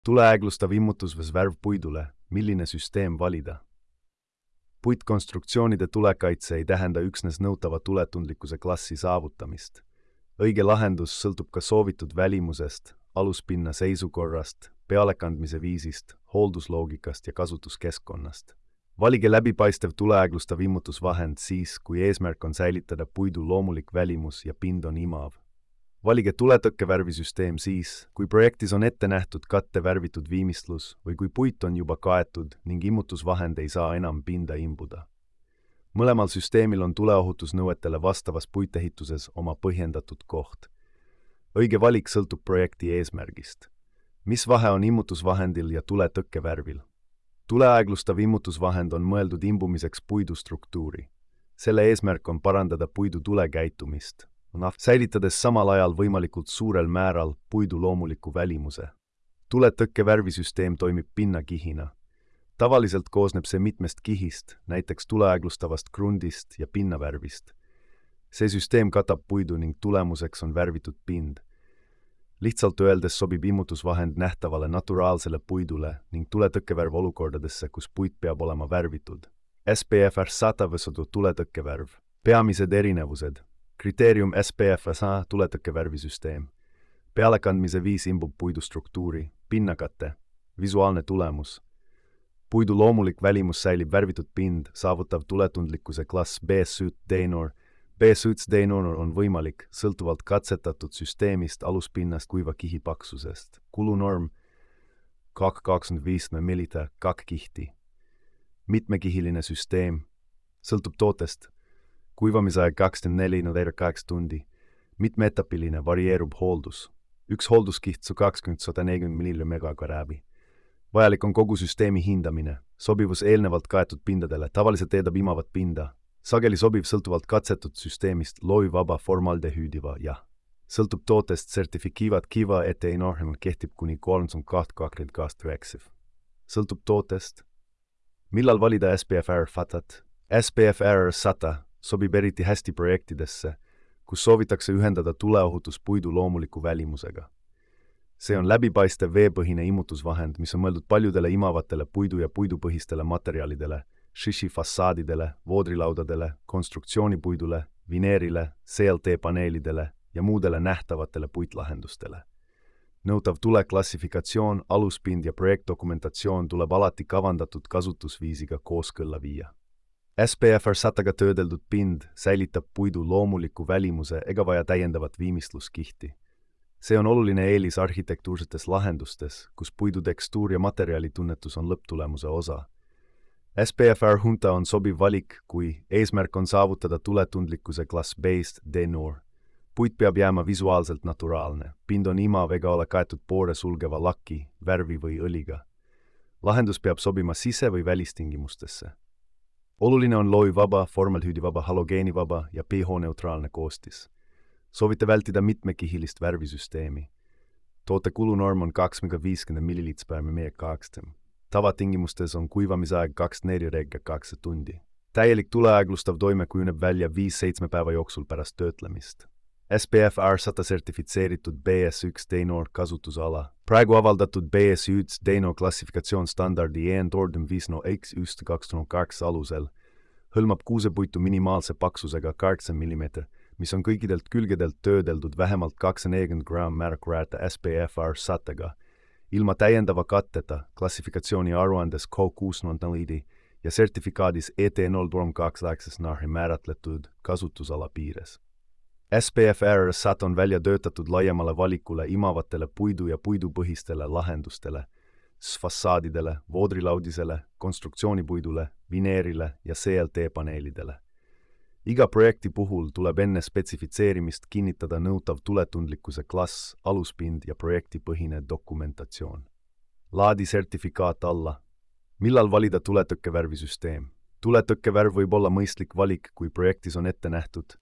Tuleäeglustav immutus või värv puidule, milline süsteem valida? Puitkonstruktsioonide tulekaitse ei tähenda üksnes nõutava tuletundlikkuse klassi saavutamist. Õige lahendus sõltub ka soovitud välimusest, aluspinna seisukorrast, pealekandmise viisist, hooldusloogikast ja kasutuskeskkonnast. Valige läbipaistev tuleäeglustav immutusvahend siis, kui eesmärk on säilitada puidu loomulik välimus ja pind on imav. Valige tuletõkkevärvisüsteem siis, kui projektis on ette nähtud katte värvitud viimistlus või kui puit on juba kaetud ning immutusvahend ei saa enam pinda imbuda. Mõlemal süsteemil on tuleohutusnõuetele vastavas puitehituses oma põhjendatud koht. Õige valik sõltub projekti eesmärgist. Mis vahe on immutusvahendil ja tuletõkkevärvil? Tuleaeglustav immutusvahend on mõeldud imbumiseks puidu struktuuri. Selle eesmärk on parandada puidu tulekäitumist, säilitades samal ajal võimalikult suurel määral puidu loomuliku välimuse. Tuletõkkevärvisüsteem toimib pinnakihina. Tavaliselt koosneb see mitmest kihist, näiteks tuleaeglustavast krundist ja pinnavärvist. See süsteem katab puidu ning tulemuseks on värvitud pind. Lihtsalt öeldes sobib immutusvahend nähtavale naturaalsele puidule ning tuletõkkevärv olukordadesse, kus puit peab olema värvitud. SPF 100 võsudu tuletõkkevärv. Peamised erinevused. Kriteerium SPF 100 tuletõkkevärvisüsteem. Pealekandmise viis imbub puidu struktuuri, pinnakate, visuaalne tulemus. Puidu loomulik välimus säilib värvitud pind, saavutav tuletundlikkuse klass B-Suit Denor. B-Suits Denor on võimalik, sõltuvalt katsetatud süsteemist, aluspinnast, kuiva kihi paksusest. Kulunorm 225 mm 2 kihti. Mitmekihiline süsteem, sõltub tootest. Kuivamisaeg 24-8 tundi. Mitmeetapiline, varieerub hooldus. Üks hoolduskiht 20-140 mm. Vajalik on kogu süsteemi hindamine. Sobivus eelnevalt kaetud pindadele, tavaliselt eeldab imavat pinda. Sageli sobiv sõltuvalt katsetud süsteemist loivaba formaldehüüdiva ja sõltub tootest sertifikiivat kiva eteinorm kehtib kuni 3.2 Sõltub tootest. Millal valida SPF 100? SPF 100 sobib eriti hästi projektidesse, kus soovitakse ühendada tuleohutus puidu loomuliku välimusega. See on läbipaistev veepõhine immutusvahend, mis on mõeldud paljudele imavatele puidu ja puidupõhistele materjalidele, šiši fassaadidele, voodrilaudadele, konstruktsioonipuidule, vineerile, CLT-paneelidele ja muudele nähtavatele puitlahendustele. Nõutav tuleklassifikatsioon, aluspind ja projektdokumentatsioon tuleb alati kavandatud kasutusviisiga kooskõlla viia. SPF 100-ga töödeldud pind säilitab puidu loomuliku välimuse ega vaja täiendavat viimistluskihti. See on oluline eelis arhitektuursetes lahendustes, kus puidu tekstuur ja materjalitunnetus on lõpptulemuse osa. SPF 100 on sobiv valik, kui eesmärk on saavutada tuletundlikkuse klass B-st Denor. Puit peab jääma visuaalselt naturaalne. Pind on imav ega ole kaetud poore sulgeva laki, värvi või õliga. Lahendus peab sobima sise- või välistingimustesse. Oluline on loivaba, formaldehüüdivaba, halogeenivaba ja pH-neutraalne koostis. Soovite vältida mitmekihilist värvisüsteemi. Toote kulunorm on 250 ml/m2. Tavatingimustes on kuivamisaeg 24-8 tundi. Täielik tuleaeglustav toime kujuneb välja 5-7 päeva jooksul pärast töötlemist. SPF 100 sertifitseeritud BS1 Denor kasutusala. Praegu avaldatud BS1 Denor klassifikatsioon standardi EN-tordum 5X1-2 alusel hõlmab kuusepuitu minimaalse paksusega 8 mm, mis on kõikidelt külgedelt töödeldud vähemalt 240 g märkväärte SPF 100-ga, ilma täiendava katteta klassifikatsiooni aruandes K604 ja sertifikaadis ET032 määratletud kasutusala piires. SPF 100 on välja töötatud laiemale valikule imavatele puidu ja puidupõhistele lahendustele, fassaadidele, voodrilaudisele, konstruktsioonipuidule, vineerile ja CLT-paneelidele. Iga projekti puhul tuleb enne spetsifitseerimist kinnitada nõutav tuletundlikkuse klass, aluspind ja projektipõhine dokumentatsioon. Laadi sertifikaat alla. Millal valida tuletõkkevärvisüsteem? Tuletõkkevärv võib olla mõistlik valik, kui projektis on ette nähtud